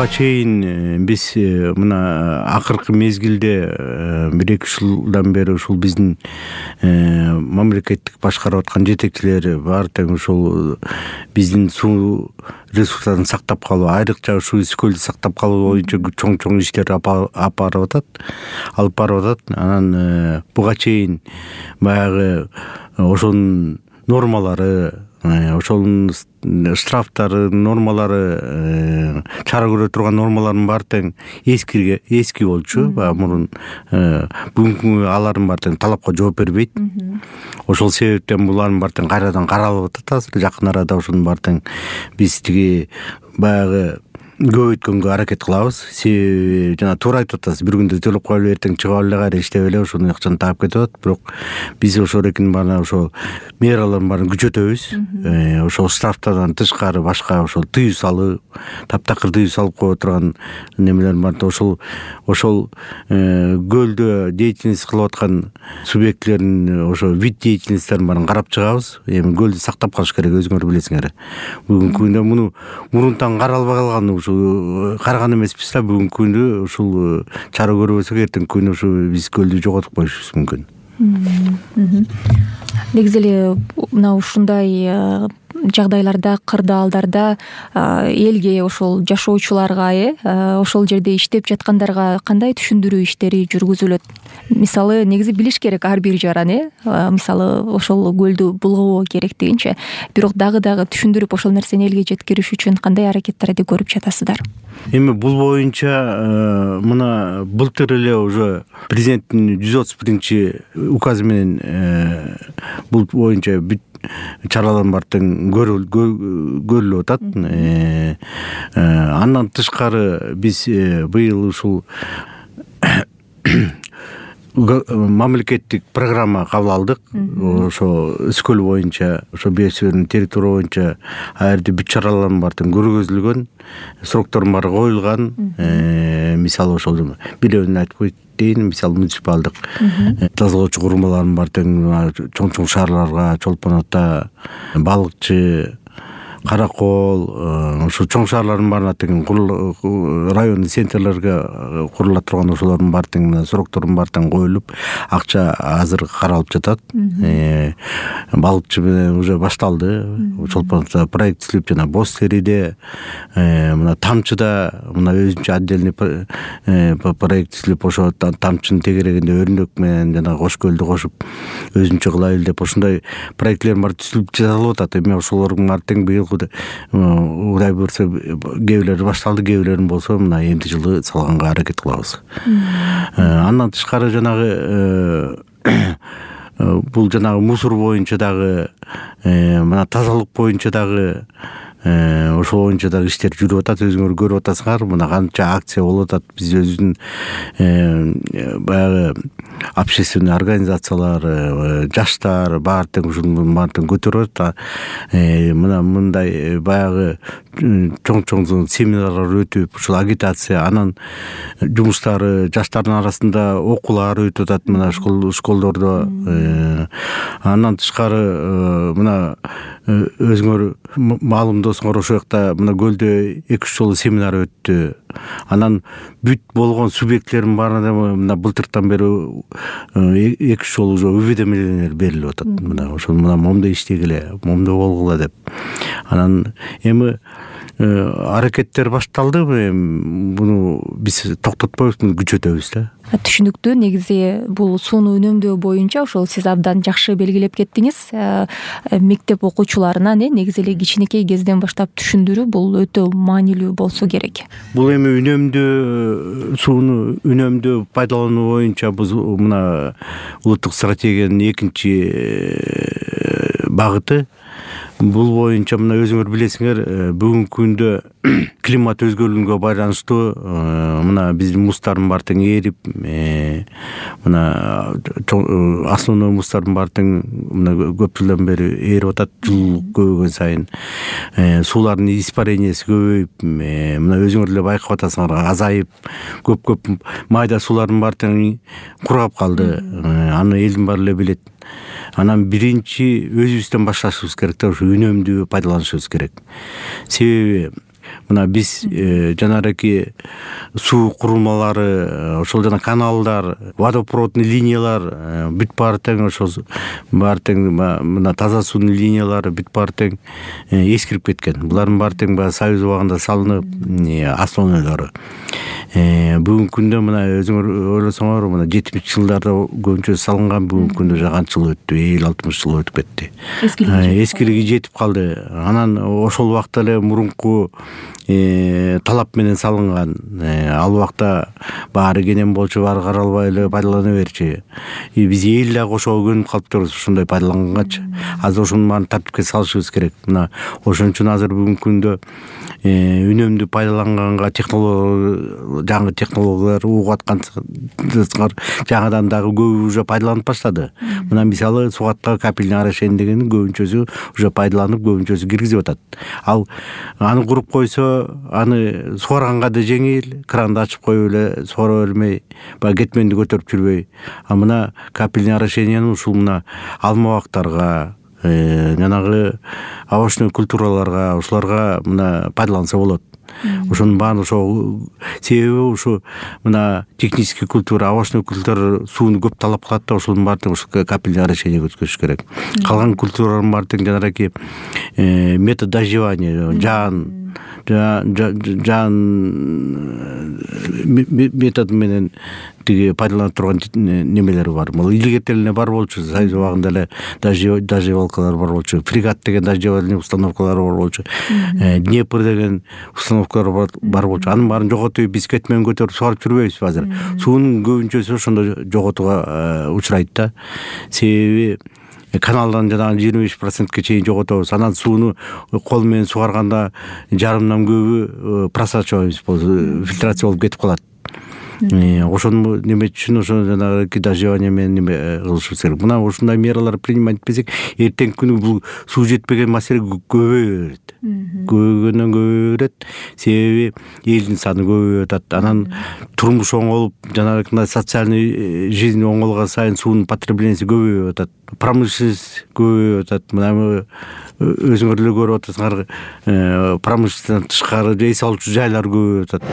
буга чейин биз мына акыркы мезгилде 1-2 жылдан бери ушул биздин мамлекеттик башкарып аткан жетекчилер баары тең ушул биздин суу ресурстарын сактап калуу, айрыкча ушул Үскөлдү сактап калуу боюнча чоң иштер алып барып атат. Анан буга чейин баягы ошонун нормалары, ошонун штрафтары, нормалары, чара көрө турган нормалардын баары тең эски болчу. Мурун бүгүнкү алардын баары тең талапка жооп бербейт. Ошол себептен булардын баары тең кайрадан каралып атат. Азыр жакын арада ошонун баары тең биз тиги баягы көбөйткөнгө аракет кылабыз. Себеби жана туура айтып атасыз, бир күндө төлөп коелу, эртең чыгып эле кайра иштеп эле ошону акчаны таап кетип атат. Бирок биз ошолордун баарына ошол мералардын баарын күчөтөбүз. Ошол штрафтардан тышкары башка ошол тыюу салуу, таптакыр тыюу салып кое турган немелер бар. Ошол көлдө деятельность кылып аткан субъектлердин ошо вид деятельностьтерин баарын карап чыгабыз. Эми көлдү сактап калыш керек, өзүңөр билесиңер. Бүгүнкү күндө муну мурунтан каралбай калган караган эмеспиз да. Бүгүнкү күндө ушул чара көрбөсөк эртеңки күнү ушу биз көлдү жоготуп коюшубуз мүмкүн. Негизи эле мына ушундай жагдайларда, кырдаалдарда элге, ошол жашоочуларга, ошол жерде иштеп жаткандарга кандай түшүндүрүү иштери жүргүзүлөт? Мисалы, негизи билиш керек ар бир жаран, мисалы, ошол көлдү булгабоо керектигинче. Бирок дагы түшүндүрүп ошол нерсени элге жеткириш үчүн кандай аракеттерди көрүп жатасыздар? Эми бул боюнча мына былтыр эле уже президенттин 131 указы менен бул боюнча чаралардын баары тең көрүлүп атат. Андан тышкары биз быйыл ушул мамлекеттик программа кабыл алдык. Ошо Үскөл боюнча, ошо Бесөөнүн территория боюнча ал жерде бүт чаралардын баары тең көргөзүлгөн, сроктордун баары коюлган. Мисалы ошол бирөөнү айтып коеюн, мисалы муниципалдык тазалоочу курмалардын баары тең чоң шаарларга, Чолпон Ата, Балыкчы, Каракол, ошо чоң шаарлардын баарына тең райондун центрлерге курулат турган ошолордун баары тең сроктордун баары тең коюлуп, акча азыр каралып жатат. Балыкчы менен уже башталды. Чолпон Ата проект түзүлүп, жана Боз Териде, мына Тамчыда мына өзүнчө отдельный проект түзүлүп, ошо Тамчынын тегерегинде Өрнөк менен жана Кош көлдү кошуп өзүнчө кылайлы деп ошондой проектлер бар түзүлүп жасалып атат. Эми ошолордун баары тең быйыл Кудай буйрса кээ бирлери башталды, кээ бирлерин болсо мына эмди жылы салганга аракет кылабыз. Андан тышкары жанагы бул жанагы мусор боюнча дагы, мына тазалык боюнча дагы ошол боюнча дагы иштер жүрүп атат. Өзүңөр көрүп атасыңар, мына канча акция болуп атат. Биз өзүбүздүн баягы общественный организациялар, жаштар баары тең ушунун баары тең көтөрүп атат. Мына мындай баягы чоң семинарлар өтүп, ушул агитация, анан жумуштары жаштардын арасында окуулар өтүп атат, мына школдордо. Андан тышкары мына өзүңөр маалымдосуңар, ошол жакта мына көлдө 2-3 жолу семинар өттү. Анан бүт болгон субъектлердин баарына мына былтыртан бери 2-3 жолу уже уведомлениялар берилип атат. Мына ошол момундай иштегиле, момундай болгула деп. Анан эми аракеттер башталды. Буну биз токтотпойбуз, муну күчөтөбүз да. Түшүнүктүү. Негизи бул сууну үнөмдөө боюнча ошол сиз абдан жакшы белгилеп кеттиңиз. Мектеп окуучуларына негизи эле кичинекей кезден баштап түшүндүрүү бул өтө маанилүү болсо керек. Бул эми сууну үнөмдөө пайдалануу боюнча биз мына улуттук стратегиянын 2 багыты. Бул боюнча мына өзүңөр билесиңер, бүгүнкү күндө климат өзгөрүүгө байланыштуу мына биздин муздардын баары тең эрип, мына основной муздардын баары тең мына көп жылдан бери эрип атат. Жыл көбөйгөн сайын суулардын испарениясы көбөйүп, мына өзүңөр эле байкап атасыңар, азайып, көп майда суулардын баары тең кургап калды. Аны элдин баары эле билет. Анан биринчи өзүбүздөн башташыбыз керек да, ушу үнөмдүү пайдаланышыбыз керек. Себеби мына биз жанагы суу курулмалары, ошол жана каналдар, водопроводный линиялар бүт баары тең ошол баары тең мына таза суунун линиялары бүт баары тең эскирип кеткен. Булардын баары тең баягы Союз убагында салынып, основнойлору. Бүгүнкү күндө мына өзүңөр ойлосоңор, мына 70 жылдарда көбүнчө салынган, бүгүнкү күндө канча жыл өттү, 50-60 жыл өтүп кетти. Эскилиги жетип калды. Анан ошол убакта эле мурунку талап менен салынган. Ал убакта баары кенен болчу, баары каралбай эле пайдалана берчи. Биз эл дагы ошого көнүп калыптырбыз, ушундай пайдаланганчы. Азыр ошонун баарын тартипке салышыбыз керек. Мына ошон үчүн азыр бүгүнкү күндө үнөмдүү пайдаланганга жаңы технологиялар угуп аткан жаңадан дагы көбү уже пайдаланып баштады. Мына мисалы сугатка капельный орошение дегенин көбүнчөсү уже пайдаланып, көбүнчөсү киргизип атат. Ал аны куруп койсо, аны сугарганга да жеңил, кранды ачып коюп эле сугара бермей, баягы кетменди көтөрүп жүрбөй. А мына капельный орошениени ушул мына алмабактарга, жанагы овощной культураларга, ушуларга мына пайдаланса болот. Ошонун баарын ошо себеби ушу мына технический культура, овощной культура сууну көп талап кылат да, ошонун баарын ушу капельный орошение өткөзүш керек. Калган культуралардын баары тең жанагы метод дождевания, метод менен тиги пайдаланып турган немелери бар. Бул илгертен эле бар болчу, Союз убагында эле дождевалкалар бар болчу, фрегат деген дождевальный установкалар бар болчу, Днепр деген установкалар бар болчу. Анын баарын жоготуп, биз кетмен көтөрүп сугарып жүрбөйбүз азыр. Суунун көбүнчөсү ошондо жоготууга учурайт да. Себеби каналдан жанагы 25%ке чейин жоготобуз. Анан сууну кол менен сугарганда жарымдан көбү просачиваемость болуп, фильтрация болуп кетип калат. Ошону неме үчүн ошо жанагы дождевание менен неме кылышыбыз керек. Мына ушундай мералар принимать этпесек, эртеңки күнү бул суу жетпеген маселе көбөйө берет. Көбөйгөндөн көбөйө берет. Себеби элдин саны көбөйүп атат. Анан турмуш оңолуп, жанагы социальный жизнь оңолгон сайын суунун потреблениеси көбөйүп атат. Промышленность көбөйүп атат. Мына өзүңөр эле көрүп атасыңар, промышленностьтан тышкары эс алуучу жайлар көбөйүп атат.